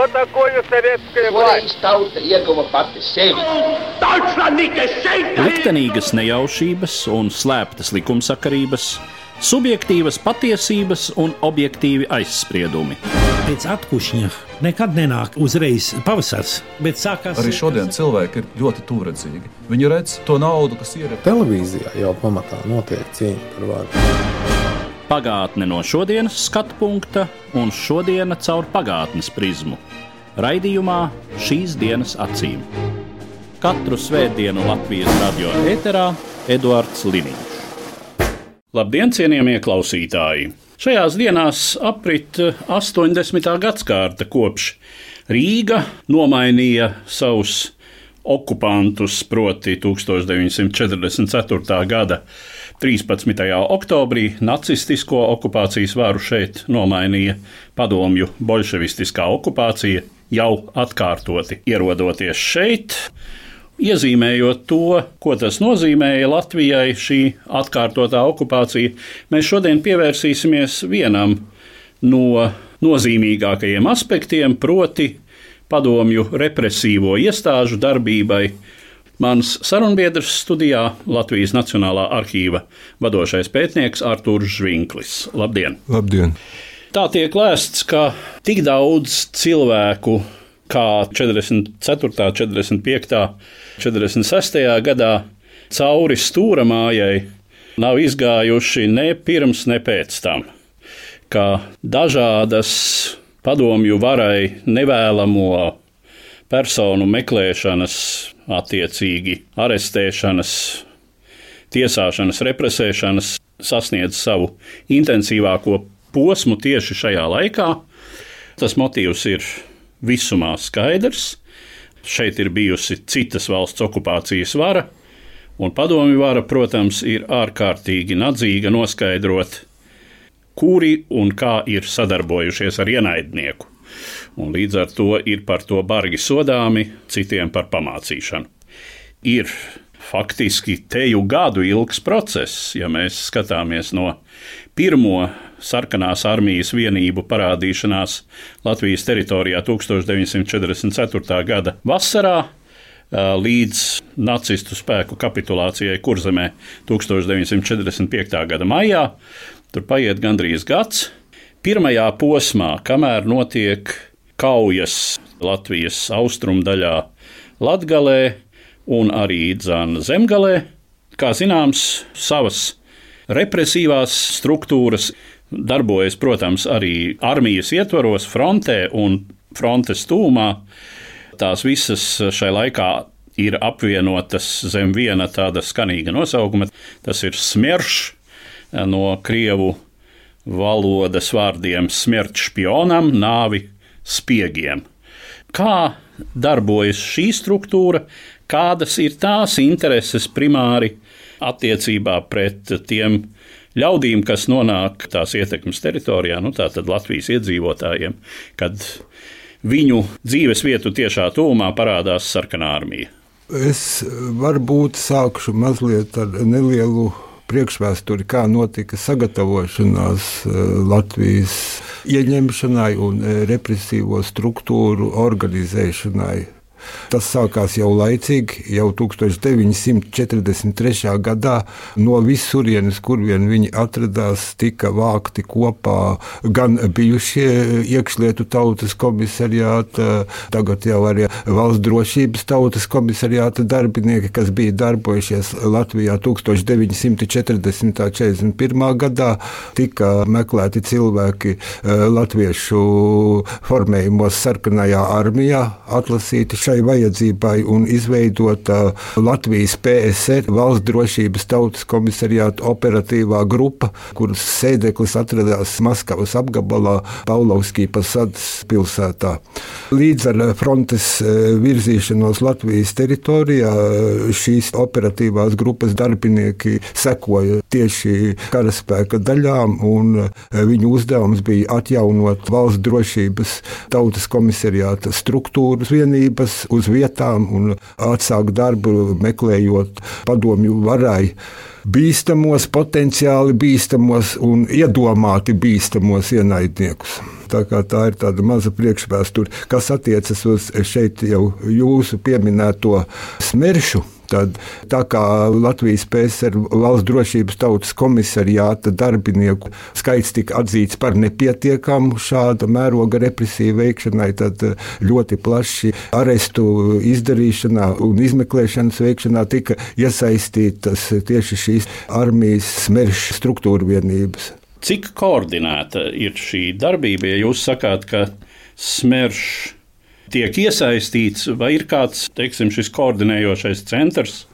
Что такое советская власть? Liktenīgas nejaušības un slēptas likumsakarības, subjektīvas patiesības un objektīvi aizspriedumi. Pēc atkušņa nekad nenāk uzreiz pavasars, bet sākās... Arī šodien cilvēki ir ļoti tuvredzīgi. Viņi redz to naudu, kas ir... Televīzijā jau pamatā notiek cīņa par varu. Pagātne no šodienas skatu punkta un šodiena caur pagātnes prizmu. Raidījumā Šīs dienas acīm. Katru svētdienu Latvijas radio ēterā Eduards Liniņš. Labdien, cienījamie klausītāji! Šajās dienās aprit 80. gadsimta kopš Rīga nomainīja savus okupantus, proti 1944. gada 13. oktobrī nacistisko okupācijas varu šeit nomainīja padomju bolševistiskā okupācija, jau atkārtoti ierodoties šeit, iezīmējot to, ko tas nozīmēja Latvijai šī atkārtotā okupācija. Mēs šodien pievērsīsimies vienam no nozīmīgākajiem aspektiem, proti padomju represīvo iestāžu darbībai. Mans sarunbiedrs studijā Latvijas Nacionālā arhīva vadošais pētnieks Artūrs Žvinklis. Labdien! Labdien! Tā tiek lēsts, ka tik daudz cilvēku kā 44., 45., 46. gadā cauri Stūramājai nav izgājuši ne pirms, ne pēc tam, ka dažādas padomju varai nevēlamo personu meklēšanas, attiecīgi arestēšanas, tiesāšanas, represēšanas sasniedz savu intensīvāko posmu tieši šajā laikā. Tas motīvs ir visumā skaidrs. Šeit ir bijusi citas valsts okupācijas vara, un padomju vara, protams, ir ārkārtīgi nadzīga noskaidrot, kuri un kā ir sadarbojušies ar ienaidnieku. Un līdz ar to ir par to bargi sodāmi, citiem par pamācīšanu. Ir faktiski teju gadu ilgs process, ja mēs skatāmies no pirmo sarkanās armijas vienību parādīšanās Latvijas teritorijā 1944. gada vasarā līdz nacistu spēku kapitulācijai Kurzemē 1945. gada maijā. Tur paiet gandrīz gads. Pirmajā posmā, kamēr notiek kaujas Latvijas austrumdaļā Latgalē un arī Zemgalē, kā zināms, savas represīvās struktūras darbojas, protams, arī armijas ietvaros, frontē un frontes tūmā. Tās visas šai laikā ir apvienotas zem viena tāda skanīga nosaukuma. Tas ir smierš, no krievu valodas vārdiem smert špionam, nāvi spiegiem. Kā darbojas šī struktūra, kādas ir tās intereses primāri attiecībā pret tiem ļaudīm, kas nonāk tās ietekmes teritorijā, tātad Latvijas iedzīvotājiem, kad viņu dzīves vietu tiešā tuvumā parādās sarkanā armija? Es varbūt sākšu mazliet ar nelielu priekšvēsturi, kā notika sagatavošanās Latvijas ieņemšanai un represīvo struktūru organizēšanai. Tas sākās jau laicīgi, jau 1943. gadā. No visurienes, kur vien viņi atradās, tika vākti kopā gan bijušie iekšlietu tautas komisariāta, tagad jau arī valsts drošības tautas komisariāta darbinieki, kas bija darbojušies Latvijā 1940. 41. gadā. Tika meklēti cilvēki latviešu formējumos sarkanajā armijā, atlasīti šai vajadzībai un izveidota Latvijas PSR, valsts drošības tautas komisariāta operatīvā grupa, kuras sēdeklis atradās Maskavas apgabalā Paulovskī Pasadas pilsētā. Līdz ar frontes virzīšanos Latvijas teritorijā šīs operatīvās grupas darbinieki sekoja tieši karaspēka daļām, un viņu uzdevums bija atjaunot valsts drošības tautas komisariāta struktūras vienības, dodas uz vietām un atsāk darbu, meklējot padomju varai bīstamos, potenciāli bīstamos un iedomāti bīstamos ienaidniekus. Tā ir tāda maza priekšvēsture, kas attiecas uz šeit jau jūsu pieminēto Smeršu. Tad, tā kā Latvijas PSR valsts drošības tautas komisariāta darbinieku skaits tika atzīts par nepietiekamu šāda mēroga represiju veikšanai, tad ļoti plaši arestu izdarīšanā un izmeklēšanas veikšanā tika iesaistītas tieši šīs armijas Smerš struktūra vienības. Cik koordinēta ir šī darbība, ja jūs sakāt, ka Smerš tiek iesaistīts, vai ir kāds, šis koordinējošais centrs,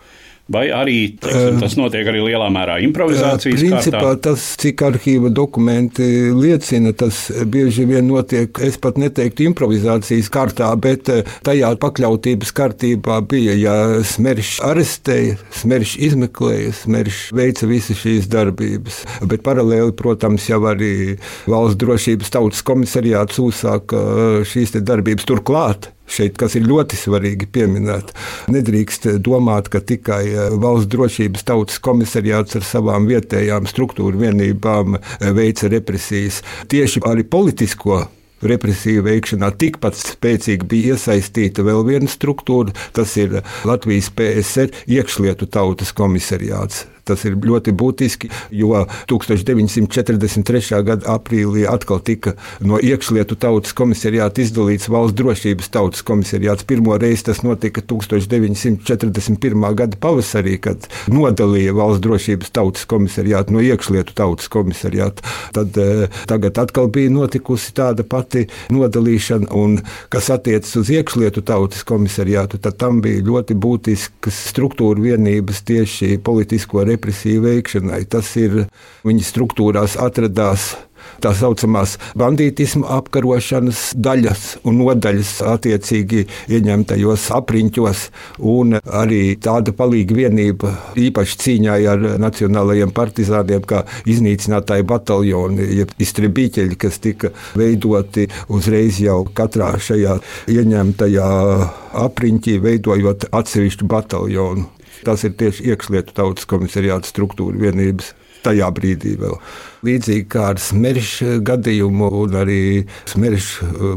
vai arī tas notiek arī lielā mērā improvizācijas principā kārtā? Tas, cik arhīva dokumenti liecina, tas bieži vien notiek, es pat neteiktu improvizācijas kārtā, bet tajā pakļautības kārtībā bija, ja Smerš arestēja, Smerš izmeklēja, Smerš veica visas šīs darbības. Bet paralēli, protams, jau arī valsts drošības tautas komisariāts uzsāka šīs darbības turklāt. Šeit, kas ir ļoti svarīgi pieminēt, nedrīkst domāt, ka tikai valsts drošības tautas komisariāts ar savām vietējām struktūru vienībām veica represijas. Tieši arī politisko represiju veikšanā tikpat spēcīgi bija iesaistīta vēl viena struktūra, tas ir Latvijas PSR iekšlietu tautas komisariāts. Tas ir ļoti būtiski, jo 1943. gada aprīlī atkal tika no iekšlietu tautas komisariāta izdalīts valsts drošības tautas komisariāts. Pirmo reizi tas notika 1941. gada pavasarī, kad nodalīja valsts drošības tautas komisariātu no iekšlietu tautas komisariāta. Tad tagad atkal bija notikusi tāda pati nodalīšana, un kas attiecas uz iekšlietu tautas komisariātu, tad tam bija ļoti būtiskas struktūra vienības tieši politisko represiju veikšanai. Tas ir, viņa struktūrās atradās tā saucamās bandītisma apkarošanas daļas un nodaļas attiecīgi ieņemtajos apriņķos, un arī tāda palīga vienība īpaši cīņā ar nacionālajiem partizāniem, kā iznīcinātāji bataljoni, jeb istribīķeļi, kas tika veidoti uzreiz jau katrā šajā ieņemtajā apriņķī, veidojot atsevišķu bataljonu. Tas ir tieši iekšlietu tautas komisariāta struktūra vienības tajā brīdī vēl. Līdzīgi kā ar Smerš gadījumu un arī Smerš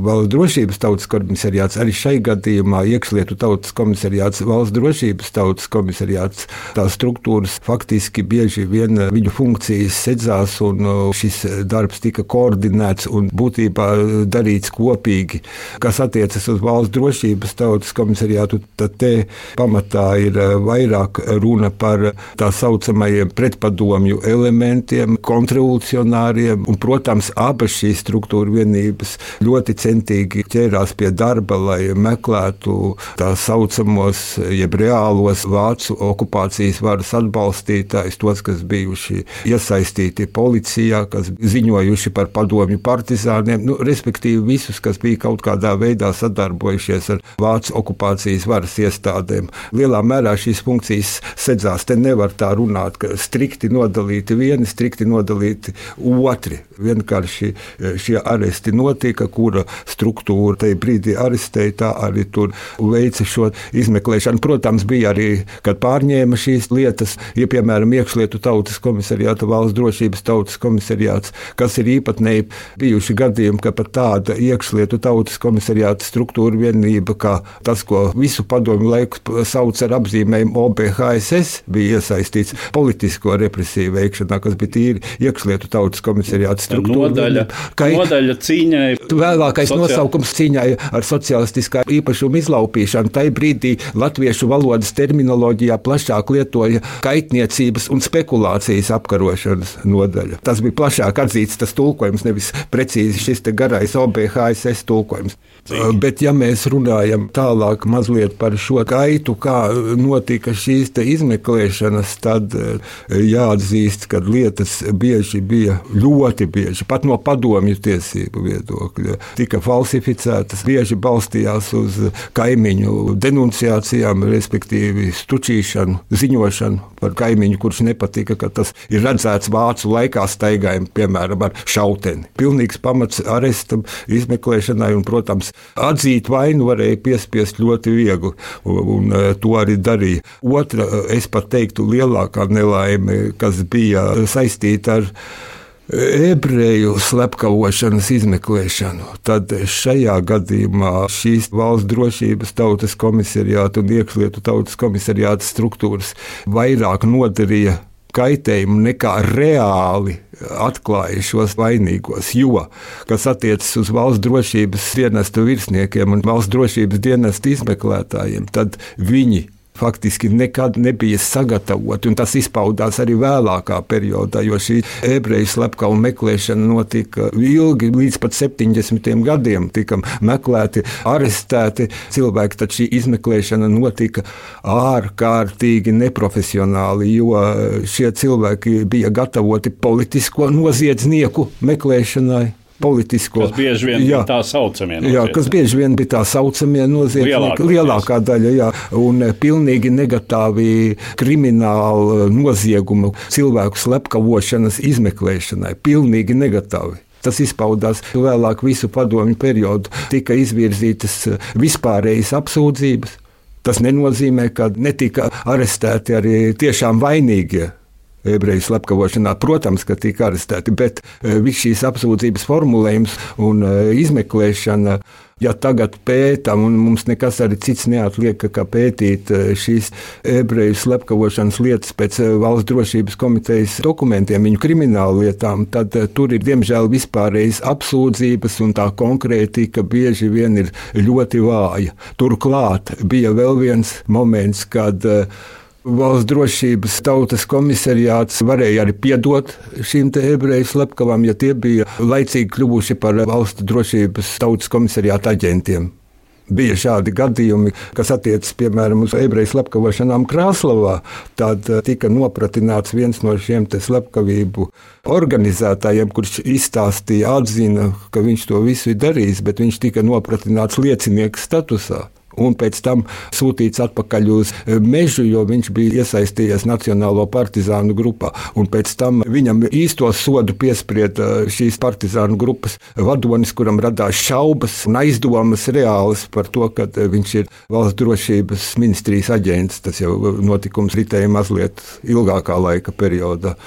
valsts drošības tautas komisariāts, arī šai gadījumā iekšlietu tautas komisariāts, valsts drošības tautas komisariāts, tās struktūras faktiski bieži vien viņu funkcijas sedzās, un šis darbs tika koordinēts un būtībā darīts kopīgi. Kas attiecas uz valsts drošības tautas komisariātu, tad te pamatā ir vairāk runa par tā saucamajiem pretpadomju elementiem, kontrarevolucionāriem, un, protams, abas šīs struktūra vienības ļoti centīgi ķērās pie darba, lai meklētu tā saucamos, jeb reālos vācu okupācijas varas atbalstītājus, tos, kas bijuši iesaistīti policijā, kas ziņojuši par padomju partizāniem, respektīvi visus, kas bija kaut kādā veidā sadarbojušies ar vācu okupācijas varas iestādēm. Lielā mērā šīs funkcijas sedzās. Te nevar tā runāt, ka strikti nodalīti vieni, strikti nodalīti otri. Vienkārši šie aresti notika, kura struktūra tajā brīdī arestēja, tā arī tur veica šo izmeklēšanu. Protams, bija arī, kad pārņēma šīs lietas, ja, piemēram, iekšlietu tautas komisariāta, valsts drošības tautas komisariāts, kas ir īpatnēji bijuši gadījumi, ka pat tāda iekšlietu tautas komisariāta struktūra vienība, kā tas, ko visu padomju laiku sauc ar apzīmējumu OBHSS, bija iesaistīts politisko represiju veikšanā, kas bija tīri iekšlietu tautas komisariāta struktūra. Nodaļa cīņai. Vēlākais nosaukums cīņai ar socialistiskā īpašuma izlaupīšanu. Tai brīdī latviešu valodas terminoloģijā plašāk lietoja kaitniecības un spekulācijas apkarošanas nodaļa. Tas bija plašāk atzīts tas tulkojums, nevis precīzi šis te garais OBHSS tulkojums. Bet ja mēs runājam tālāk mazliet par šo gaitu, kā notika šīs te izmeklēšanas, tad jāatzīst, ka lietas bieži bieži bija, ļoti bieži, pat no padomju tiesību viedokļa, tika falsificētas, bieži balstījās uz kaimiņu denunciācijām, respektīvi stučīšanu, ziņošanu par kaimiņu, kurš nepatika, ka tas ir redzēts vācu laikā staigājumi, piemēram, ar šauteni. Pilnīgs pamats arestam, izmeklēšanai un, protams, atzīt vainu varēja piespiest ļoti viegli, un to arī darīja. Otra, es pat teiktu, lielākā nelaime, kas bija saistīta ar ebreju slepkavošanas izmeklēšanu, tad šajā gadījumā šīs valsts drošības tautas komisariāta un iekšlietu tautas komisariāta struktūras vairāk nodarīja kaitējumu nekā reāli atklāja šos vainīgos, jo, kas attiecas uz valsts drošības dienestu virsniekiem un valsts drošības dienestu izmeklētājiem, tad viņi faktiski nekad nebija sagatavoti, un tas izpaudās arī vēlākā periodā, jo šī ebreju slepkavuma meklēšana notika ilgi, līdz pat 70. gadiem tika meklēti, arestēti cilvēki, tad šī izmeklēšana notika ārkārtīgi neprofesionāli, jo šie cilvēki bija gatavoti politisko noziedznieku meklēšanai. Kas bieži vien bija tā saucamie noziedznieki. Jā, kas bieži vien bija tā saucamie noziedznieki, lielākā daļa, jā, un pilnīgi negatīvi kriminālu noziegumu cilvēku slepkavošanas izmeklēšanai, pilnīgi negatīvi. Tas izpaudās vēlāk visu padomju periodu, tika izvirzītas vispārējas apsūdzības. Tas nenozīmē, ka netika arestēti arī tiešām vainīgie ebreju slepkavošanā. Protams, ka tika arestēti, bet viss šīs apsūdzības formulējums un izmeklēšana, ja tagad pētam, un mums nekas arī cits neatliek, kā pētīt šīs ebreju slepkavošanas lietas pēc valsts drošības komitejas dokumentiem, viņu kriminālu lietām, tad tur ir diemžēl vispārējas apsūdzības, un tā konkrētika bieži vien ir ļoti vāja. Turklāt bija vēl viens moments, kad valsts drošības tautas komisariāts varēja arī piedot šīm te ebreju slepkavām, ja tie bija laicīgi kļuvuši par valsts drošības tautas komisariāta aģentiem. Bija šādi gadījumi, kas attiecas, piemēram, uz ebreju slepkavošanām Krāslavā, tad tika nopratināts viens no šiem te slepkavību organizētājiem, kurš izstāstīja, atzina, ka viņš to visu ir darījis, bet viņš tika nopratināts liecinieka statusā. Un pēc tam sūtīts atpakaļ uz Mežu, jo viņš bija iesaistījies Nacionālo partizānu grupā. Un pēc tam viņam īsto sodu piesprieda šīs partizānu grupas vadonis, kuram radās šaubas un aizdomas reālas par to, ka viņš ir valsts drošības ministrijas aģents. Tas jau notikums ritēja mazliet ilgākā laika periodā.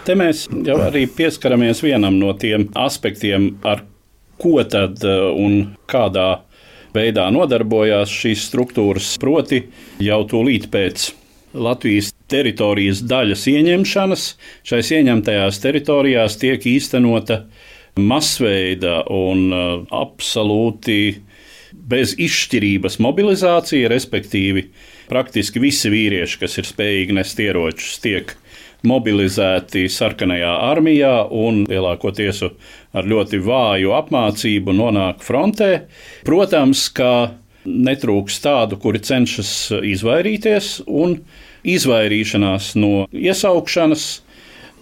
Te mēs jau arī pieskaramies vienam no tiem aspektiem, ar ko tad un kādā veidā nodarbojās šīs struktūras, proti jau tūlīt pēc Latvijas teritorijas daļas ieņemšanas. Šais ieņemtajās teritorijās tiek īstenota masveida un absolūti bez izšķirības mobilizācija, respektīvi praktiski visi vīrieši, kas ir spējīgi nest ieročus, tiek mobilizēti sarkanajā armijā un lielākoties ar ļoti vāju apmācību nonāk frontē. Protams, ka netrūks tādu, kuri cenšas izvairīties, un izvairīšanās no iesaukšanas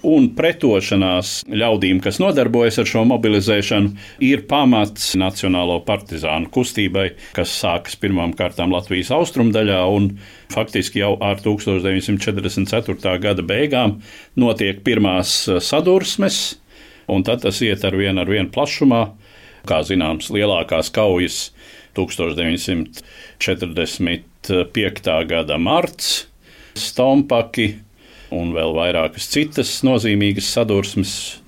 un pretošanās ļaudīm, kas nodarbojas ar šo mobilizēšanu, ir pamats Nacionālo partizānu kustībai, kas sākas pirmām kārtām Latvijas austrumdaļā, un faktiski jau ar 1944. gada beigām notiek pirmās sadursmes, un tad tas iet ar vien plašumā. Kā zināms, lielākās kaujas 1945. gada marts, Stompaki un vēl vairākas citas nozīmīgas sadursmes.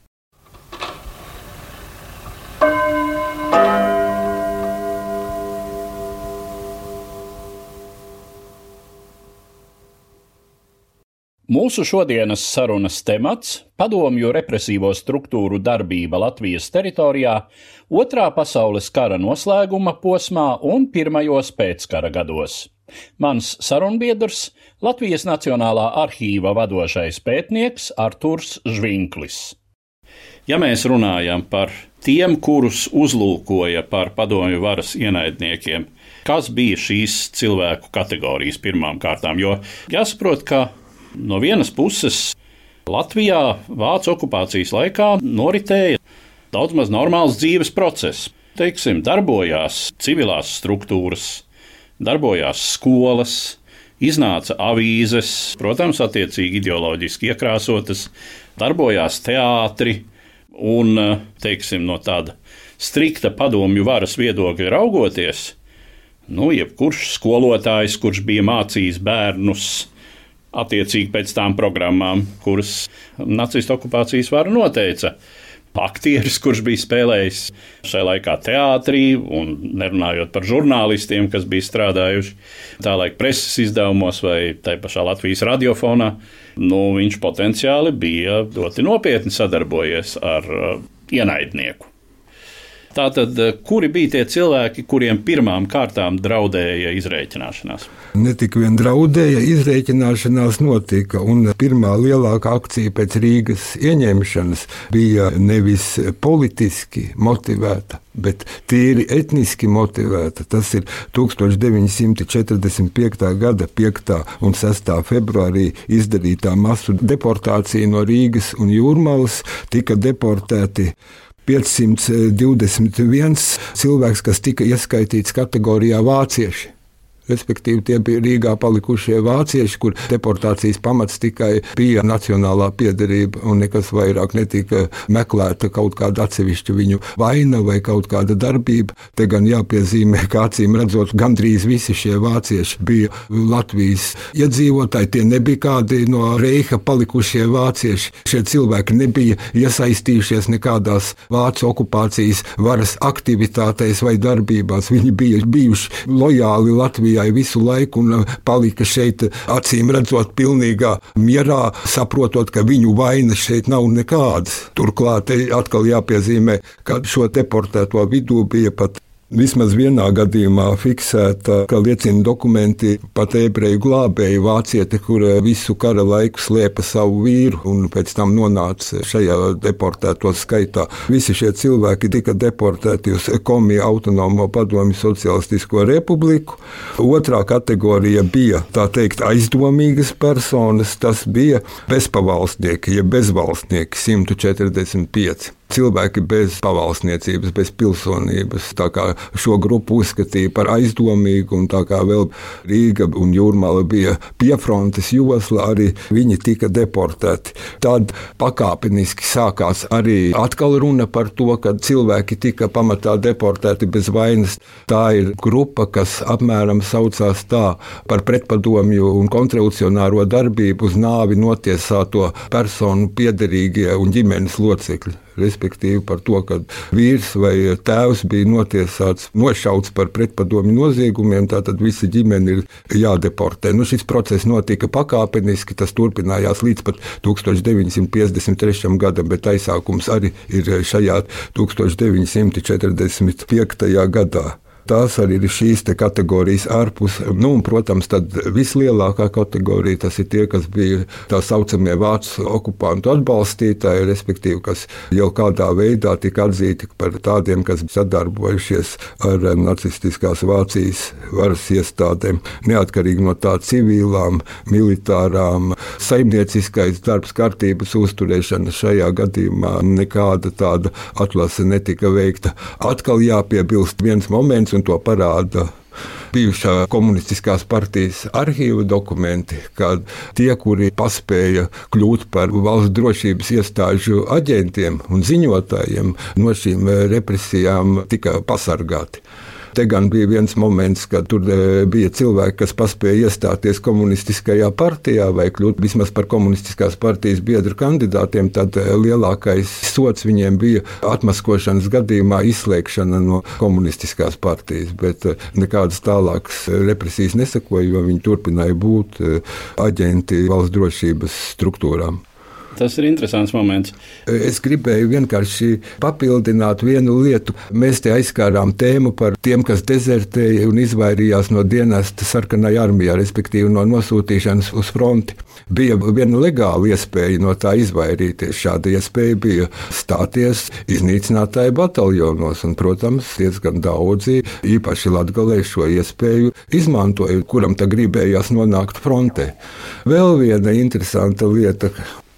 Mūsu šodienas sarunas temats – padomju represīvo struktūru darbība Latvijas teritorijā Otrā pasaules kara noslēguma posmā un pirmajos pēckara gados. Mans sarunbiedrs – Latvijas Nacionālā arhīva vadošais pētnieks Arturs Žvinklis. Ja mēs runājam par tiem, kurus uzlūkoja par padomju varas ienaidniekiem, kas bija šīs cilvēku kategorijas pirmām kārtām? Jo jāsaprot, ka no vienas puses Latvijā vācu okupācijas laikā noritēja daudz maz normāls dzīves process. Teiksim, darbojās civilās struktūras, darbojās skolas, iznāca avīzes, protams, attiecīgi ideoloģiski iekrāsotas, darbojās teātri un, teiksim, no tāda strikta padomju varas viedokļa raugoties, jebkurš skolotājs, kurš bija mācījis bērnus attiecīgi pēc tām programmām, kuras nacistu okupācijas vara noteica. Aktieris, kurš bija spēlējis šajā laikā teātrī, un nerunājot par žurnālistiem, kas bija strādājuši tā laika preses izdevumos vai tai pašā Latvijas radiofonā, viņš potenciāli bija ļoti nopietni sadarbojies ar ienaidnieku. Tātad, kuri bija tie cilvēki, kuriem pirmām kārtām draudēja izrēķināšanās? Ne tik vien draudēja, izrēķināšanās notika, un pirmā lielākā akcija pēc Rīgas ieņemšanas bija nevis politiski motivēta, bet tīri etniski motivēta. Tas ir 1945. gada 5. un 6. februārī izdarītā masu deportācija no Rīgas un Jūrmalas. Tika deportēti 521 cilvēks, kas tika ieskaitīts kategorijā vācieši. Respektīvi, tie bija Rīgā palikušie vācieši, kur deportācijas pamats tikai bija nacionālā piederība un nekas vairāk netika meklēta kaut kāda atsevišķa viņu vaina vai kaut kāda darbība. Te gan jāpiezīmē, ka acīm redzot, gandrīz visi šie vācieši bija Latvijas iedzīvotāji. Tie nebija kādi no Reiha palikušie vācieši. Šie cilvēki nebija iesaistījušies nekādās vācu okupācijas varas aktivitātēs vai darbībās. Viņi bija bijuši lojāli Latvijai visu laiku un palika šeit, acīm redzot, pilnīgā mierā, saprotot, ka viņu vainas šeit nav nekādas. Turklāt atkal jāpiezīmē, ka šo deportēto vidū bija pat vismaz vienā gadījumā fiksēta, ka liecina dokumenti pat ebreju glābēju vāciete, kur visu kara laiku slēpa savu vīru un pēc tam nonāca šajā deportēto skaitā. Visi šie cilvēki tika deportēti uz Komiju autonomo padomju socialistisko republiku. Otrā kategorija bija, tā teikt, aizdomīgas personas, tas bija bezpavalstnieki, ja bezvalstnieki 145. Cilvēki bez pavalsniecības, bez pilsonības. Tā kā šo grupu uzskatīja par aizdomīgu, un tā kā vēl Rīga un Jūrmala bija piefrontes josla, arī viņi tika deportēti. Tad pakāpeniski sākās arī atkal runa par to, ka cilvēki tika pamatā deportēti bez vainas. Tā ir grupa, kas apmēram saucās tā par pretpadomju un kontrarevolucionāro darbību uz nāvi notiesāto personu piederīgie un ģimenes locekļi. Respektīvi par to, ka vīrs vai tēvs bija notiesāts, nošauts par pretpadomju noziegumiem, tātad visa ģimene ir jādeportē. Šis process notika pakāpeniski, tas turpinājās līdz pat 1953. gadam, bet aizsākums arī ir šajā 1945. gadā. Tās arī ir šīs kategorijas ārpus. Un, protams, tad vislielākā kategorija tas ir tie, kas bija tā saucamie vācu okupantu atbalstītāji, respektīvi, kas jau kādā veidā tika atzīti par tādiem, kas sadarbojušies ar nacistiskās Vācijas varas iestādēm. Neatkarīgi no tā civilām, militārām, saimnieciskais darbs, kārtības uzturēšana šajā gadījumā nekāda tāda atlase netika veikta. Atkal jāpiebilst viens moments, un to parāda bijušā komunistiskās partijas arhīva dokumenti, kad tie, kuri paspēja kļūt par valsts drošības iestāžu aģentiem un ziņotājiem, no šīm represijām tika pasargāti. Te gan bija viens moments, kad tur bija cilvēki, kas paspēja iestāties komunistiskajā partijā vai kļūt vismaz par komunistiskās partijas biedru kandidātiem, tad lielākais sots viņiem bija atmaskošanas gadījumā izslēgšana no komunistiskās partijas, bet nekādas tālākas represijas nesakoja, jo viņi turpināja būt aģenti valsts drošības struktūrām. Tas ir interesants moments. Es gribēju vienkārši papildināt vienu lietu. Mēs te aizskārām tēmu par tiem, kas dezertēja un izvairījās no dienesta sarkanajā armijā, respektīvi no nosūtīšanas uz fronti. Bija viena legāla iespēja no tā izvairīties. Šāda iespēja bija stāties iznīcinātāju bataljonos, un, protams, diezgan daudzi, īpaši Latgalē, šo iespēju izmantoja, kuram tā gribējās nonākt frontē. Vēl viena interesanta lieta.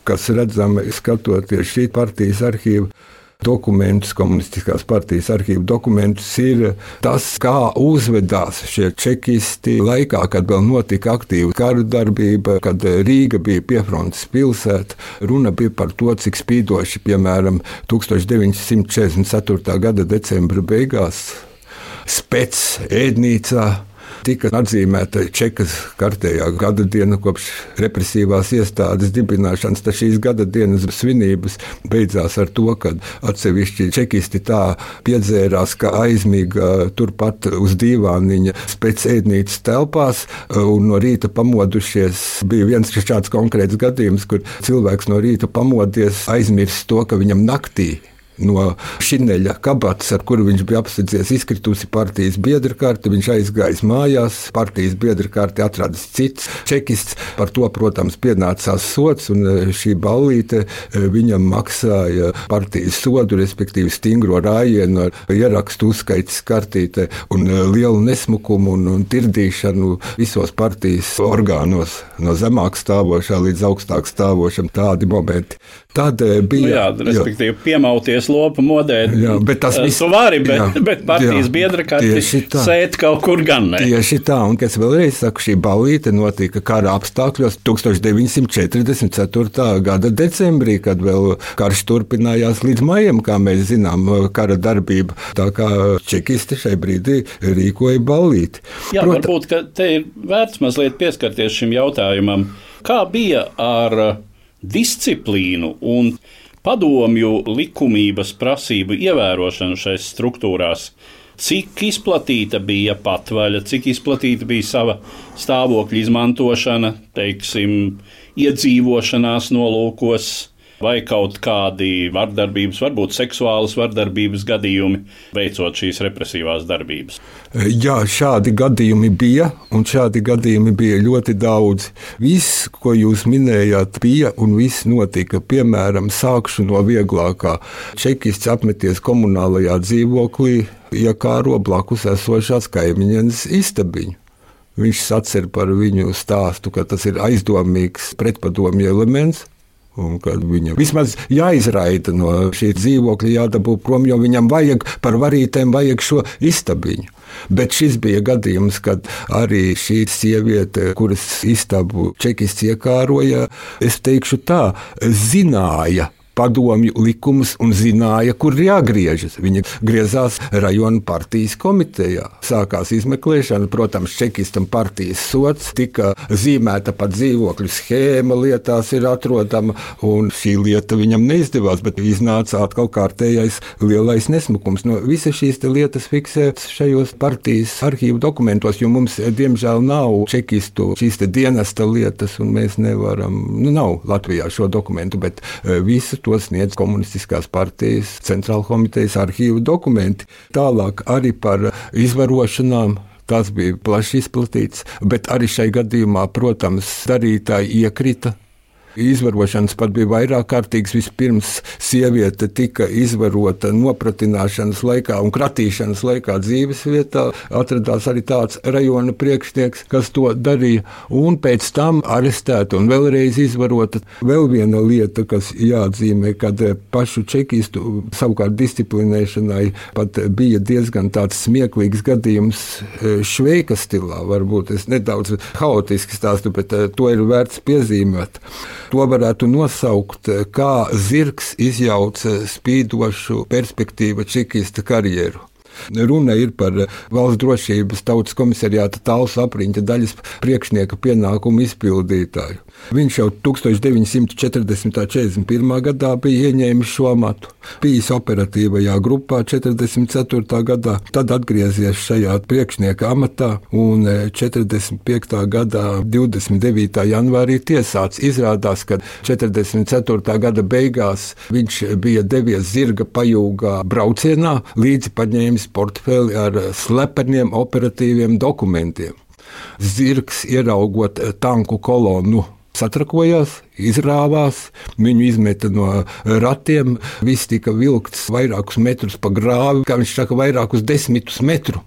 kas redzami skatoties šī partijas arhīva dokumentus, komunistiskās partijas arhīva dokumentus, ir tas, kā uzvedās šie čekisti laikā, kad vēl notika aktīva kara darbība, kad Rīga bija piefrontes pilsēta. Runa bija par to, cik spīdoši, piemēram, 1944. gada decembra beigās Spec ēdnīcā tika atzīmēta Čekas kārtējā gada diena kopš represīvās iestādes dibināšanas. Tad šīs gada dienas svinības beidzās ar to, ka atsevišķi čekisti tā piedzērās, ka aizmiga turpat uz dīvāniņa Spec ēdnīcas telpās un no rīta pamodušies. Bija viens šāds konkrēts gadījums, kur cilvēks no rīta pamodies, aizmirst to, ka viņam naktī no šineļa kabatas, ar kuru viņš bija apsedzies, izkritusi partijas biedra karte. Viņš aizgājis mājās, partijas biedra karte atradis cits čekists. Par to, protams, pienācās sods, un šī ballīte viņam maksāja partijas sodu, respektīvi stingro rājienu ar ierakstu uzskaites kartīte un lielu nesmukumu un tirdīšanu visos partijas orgānos, no zemāk stāvošā līdz augstāk stāvošam, tādi momenti. Tad bija, respektīvi, piemauties lopu modē. Jā, bet tas viss vari, bet partijas biedra karti sēt kaut kur gan ne. Tieši tā, un es vēlreiz saku, šī ballīte notika kara apstākļos 1944. gada decembrī, kad vēl karš turpinājās līdz maijam, kā mēs zinām, kara darbība. Tā kā čekisti šai brīdī rīkoja ballīti. Jā, varbūt, ka te ir vērts mazliet pieskarties šim jautājumam. Kā bija ar disciplīnu un padomju likumības prasību ievērošanu šais struktūrās? Cik izplatīta bija patvaļa, cik izplatīta bija sava stāvokļa izmantošana, teiksim, iedzīvošanās nolūkos, vai kaut kādi vardarbības, varbūt seksuālas vardarbības gadījumi, veicot šīs represīvās darbības? Jā, šādi gadījumi bija, un šādi gadījumi bija ļoti daudz. Viss, ko jūs minējāt, bija un viss notika. Piemēram, sākšu no vieglākā. Čekists apmeties komunālajā dzīvoklī, iekāro blakus esošās kaimiņienes istabiņu. Viņš sacer par viņu stāstu, ka tas ir aizdomīgs pretpadomju elements, un kad viņam vismaz jāizraida no šī dzīvokļa, jādabū prom, jo viņam vajag par varītēm vajag šo istabiņu. Bet šis bija gadījums, kad arī šī sieviete, kuras istabu čekists iekāroja, es teikšu tā, zināja padomju likumus un zināja, kur jāgriežas. Viņa griezās rajona partijas komitejā. Sākās izmeklēšana, protams, čekistam partijas sods, tika zīmēta pat dzīvokļu schēma, lietās ir atrodama, un šī lieta viņam neizdevās, bet iznāca atkal kārtējais lielais nesmukums. No visas šīs lietas fiksētas šajos partijas arhīvu dokumentos, jo mums, diemžēl, nav čekistu šīs dienesta lietas, un mēs nevaram, nav Latvijā šo dokumentu, bet visu to sniedz komunistiskās partijas centrāla komitejas arhīvu dokumenti. Tālāk arī par izvarošanām. Tas bija plaši izplatīts, bet arī šai gadījumā, protams, darītāji iekrita. Izvarošanas pat bija vairāk kārtīgas. Vispirms sieviete tika izvarota nopratināšanas laikā un kratīšanas laikā dzīves vietā. Atradās arī tāds rajona priekšnieks, kas to darīja, un pēc tam arestēta un vēlreiz izvarota. Vēl viena lieta, kas jāatzīmē, kad pašu čekistu savukārt disciplinēšanai pat bija diezgan tāds smieklīgs gadījums Šveika stilā. Varbūt es nedaudz haotiski stāstu, bet to ir vērts piezīmēt. To varētu nosaukt, kā zirgs izjauca spīdošu perspektīvu čekista karjeru. Runa ir par Valsts drošības tautas komisariāta Talsu apriņķa daļas priekšnieka pienākumu izpildītāju. Viņš jau 1940. 41. gadā bija ieņēmis šo amatu, bijis operatīvajā grupā 44. gadā, tad atgriezies šajā priekšnieka amatā un 45. gadā 29. janvārī tiesāts. Izrādās, ka 44. gada beigās viņš bija devies zirga pajūgā braucienā, līdzi paņēmis portfeli ar slepeniem operatīviem dokumentiem. Zirgs, ieraugot tanku kolonu, satrakojās, izrāvās, viņu izmeta no ratiem, viss tika vilkts vairākus metrus pa grāvi, kā viņš saka, vairākus 10 metru.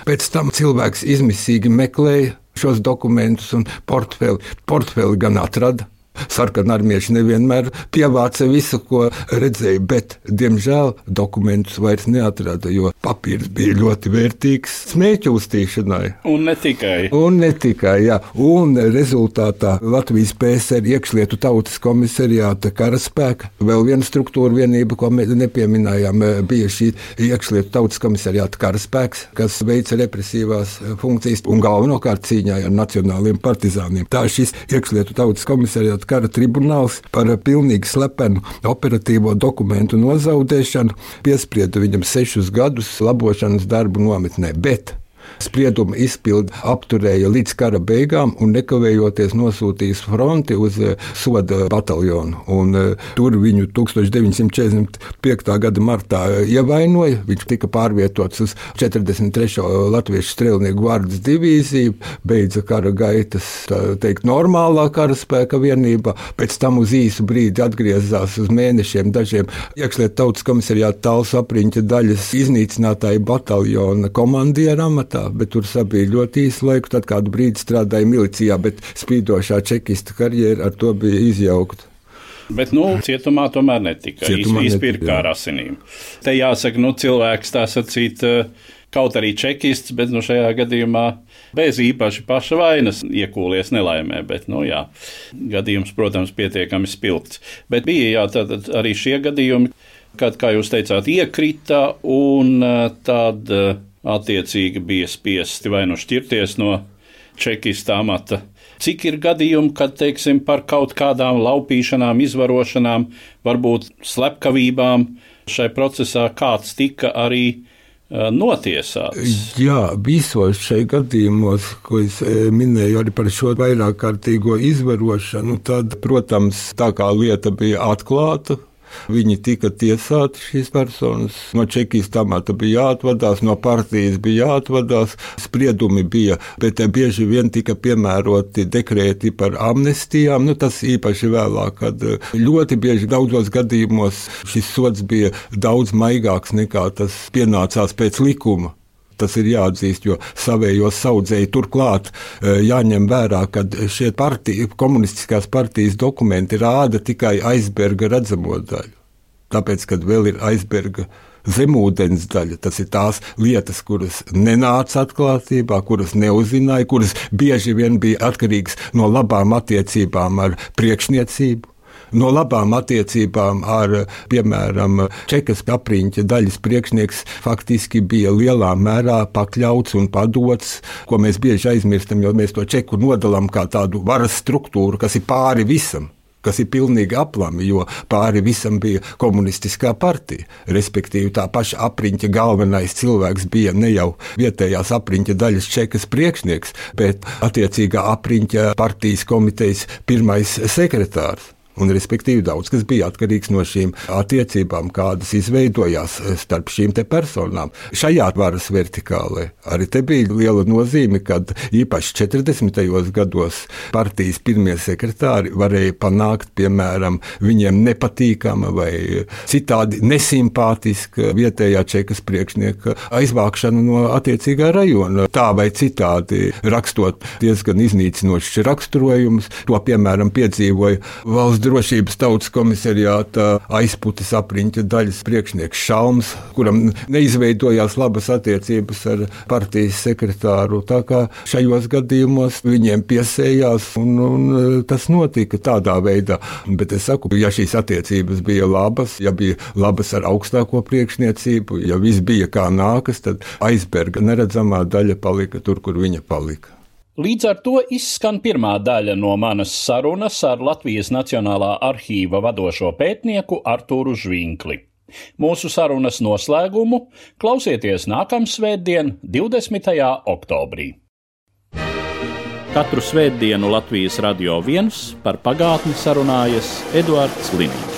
Pēc tam cilvēks izmisīgi meklēja šos dokumentus un portfeli gan atrada. Sarkanarmieši nevienmēr pievāca visu, ko redzēja, bet, diemžēl, dokumentus vairs neatrada, jo papīrs bija ļoti vērtīgs smēķu uztīšanai. Un ne tikai. Jā. Un rezultātā Latvijas PSR iekšlietu tautas komisariāta karaspēka, vēl viena struktūra vienība, ko mēs nepieminējām, bija šī iekšlietu tautas komisariāta karaspēks, kas veica represīvās funkcijas un galvenokārt cīņā ar nacionāliem partizāniem. Tā šis iekšlietu tautas komisariāta kara tribunāls par pilnīgi slepenu operatīvo dokumentu nozaudēšanu piesprieda viņam 6 gadus labošanas darbu nometnē, bet sprieduma izpildi apturēja līdz kara beigām un nekavējoties nosūtījis fronti uz soda bataljonu. Un tur viņu 1945. Gada martā ievainoja. Viņš tika pārvietots uz 43. Latviešu strēlnieku gvardas divīziju, beidza kara gaitas, tā teikt, normālā karaspēka vienībā, pēc tam uz īsu brīdi atgriezās uz mēnešiem dažiem iekšlietu tautas komisariāta Talsu apriņķa daļas iznīcinātāju bataljona komandieru amatā, bet tur sabija ļoti īsu laiku, tad kādu brīdi strādāja milicijā, bet spīdošā čekista karjera ar to bija izjaukta. Bet, cietumā tomēr netika. Izpirka ar asinīm. Te jāsaka, cilvēks tā sacīt, kaut arī čekists, bet šajā gadījumā bez īpaši paša vainas iekūlies nelaimē, bet, gadījums, protams, pietiekami spilgts. Bet bija, tātad arī šie gadījumi, kad, kā jūs teicāt, iekrita un tad attiecīgi bija spiesti vai šķirties no čekista amata. Cik ir gadījumi, kad, teiksim, par kaut kādām laupīšanām, izvarošanām, varbūt slepkavībām šai procesā kāds tika arī notiesāts? Jā, visos šai gadījumos, ko es minēju arī par šo vairāk kārtīgo izvarošanu, tad, protams, tā kā lieta bija atklāta, viņi tika tiesāti, šīs personas. No čekista amata bija jāatvadās, no partijas bija jāatvadās, spriedumi bija, bet bieži vien tika piemēroti dekrēti par amnestijām. Tas īpaši vēlāk, kad ļoti bieži daudzos gadījumos šis sods bija daudz maigāks nekā tas pienācās pēc likuma. Tas ir jāatzīst, jo savējos saudzēji turklāt jāņem vērā, ka šie komunistiskās partijas dokumenti rāda tikai aizberga redzamo daļu. Tāpēc, kad vēl ir aizberga zemūdens daļa, tas ir tās lietas, kuras nenāca atklātībā, kuras neuzzināja, kuras bieži vien bija atkarīgas no labām attiecībām ar priekšniecību. No labām attiecībām ar, piemēram, Čekas apriņķa daļas priekšnieks faktiski bija lielā mērā pakļauts un padots, ko mēs bieži aizmirstam, jo mēs to Čeku nodalām kā tādu varas struktūru, kas ir pāri visam, kas ir pilnīgi aplami, jo pāri visam bija komunistiskā partija. Respektīvi, tā paša apriņķa galvenais cilvēks bija ne jau vietējās apriņķa daļas Čekas priekšnieks, bet attiecīgā apriņķa partijas komitejas pirmais sekretārs. Un, respektīvi, daudz kas bija atkarīgs no šīm attiecībām, kādas izveidojās starp šīm te personām. Šajā varas vertikālē arī te bija liela nozīme, kad īpaši 40. gados partijas pirmie sekretāri varēja panākt, piemēram, viņiem nepatīkama vai citādi nesimpātiska vietējā Čekas priekšnieka aizvākšanu no attiecīgā rajona. Tā vai citādi rakstot diezgan iznīcinošs raksturojumus, to, piemēram, piedzīvoja valsts drošības tautas komisariāta aizputes apriņķa daļas priekšnieks Šalms, kuram neizveidojās labas attiecības ar partijas sekretāru. Tā kā šajos gadījumos viņiem piesējās, un tas notika tādā veidā. Bet es saku, ja šīs attiecības bija labas, ja bija labas ar augstāko priekšniecību, ja viss bija kā nākas, tad aizberga neredzamā daļa palika tur, kur viņa palika. Līdz ar to izskan pirmā daļa no manas sarunas ar Latvijas Nacionālā arhīva vadošo pētnieku Artūru Žvinkli. Mūsu sarunas noslēgumu klausieties nākamsvētdien, 20. oktobrī. Katru svētdienu Latvijas Radio 1 par pagātni sarunājas Eduards Liniņš.